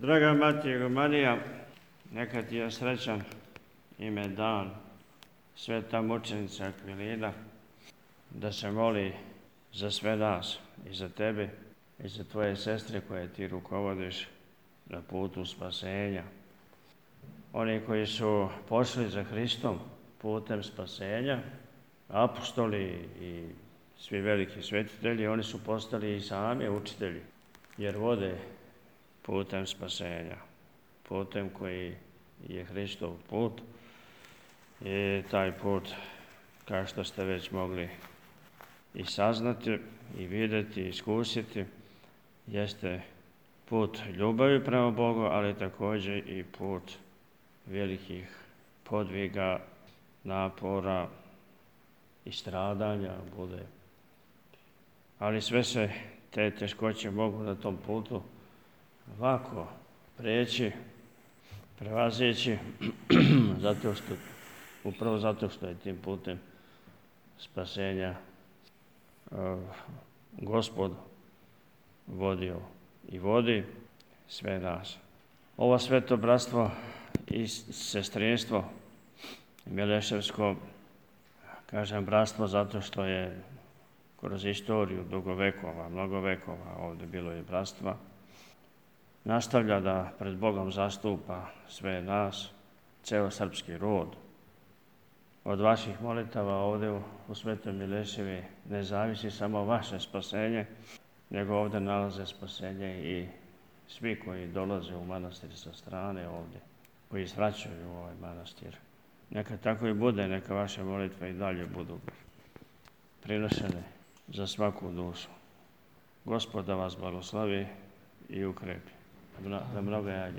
Draga Matijo Marija, neka ti je srećan ime dan, sveta mučenica Akvilina, da se moli za sve nas i za tebe i za tvoje sestre koje ti rukovodiš na putu spasenja. Oni koji su pošli za Hristom putem spasenja, apostoli i svi veliki svetitelji, oni su postali i sami učitelji, jer vode putem spasenja, putem koji je Hristov put. I taj put, kao što ste već mogli i saznati, i vidjeti, i iskusiti, jeste put ljubavi prema Bogu, ali također i put velikih podviga, napora i stradanja bude. Ali sve se te teškoće mogu na tom putu lako preći, prevazići, upravo zato što je tim putem spasenja Gospod vodio i vodi sve nas. Ovo sveto bratstvo i sestrinstvo Mileševsko, kažem bratstvo zato što je kroz istoriju mnogo vekova ovdje bilo i bratstva, nastavlja da pred Bogom zastupa sve nas, ceo srpski rod. Od vaših molitava ovdje u Svetoj Mileševi ne zavisi samo vaše spasenje, nego ovdje nalaze spasenje i svi koji dolaze u manastir sa strane ovdje, koji svraćaju u ovaj manastir. Neka tako i bude, neka vaše molitve i dalje budu prinošene za svaku dušu. Gospod da vas blagoslovi i ukrepi. Da mnogo ja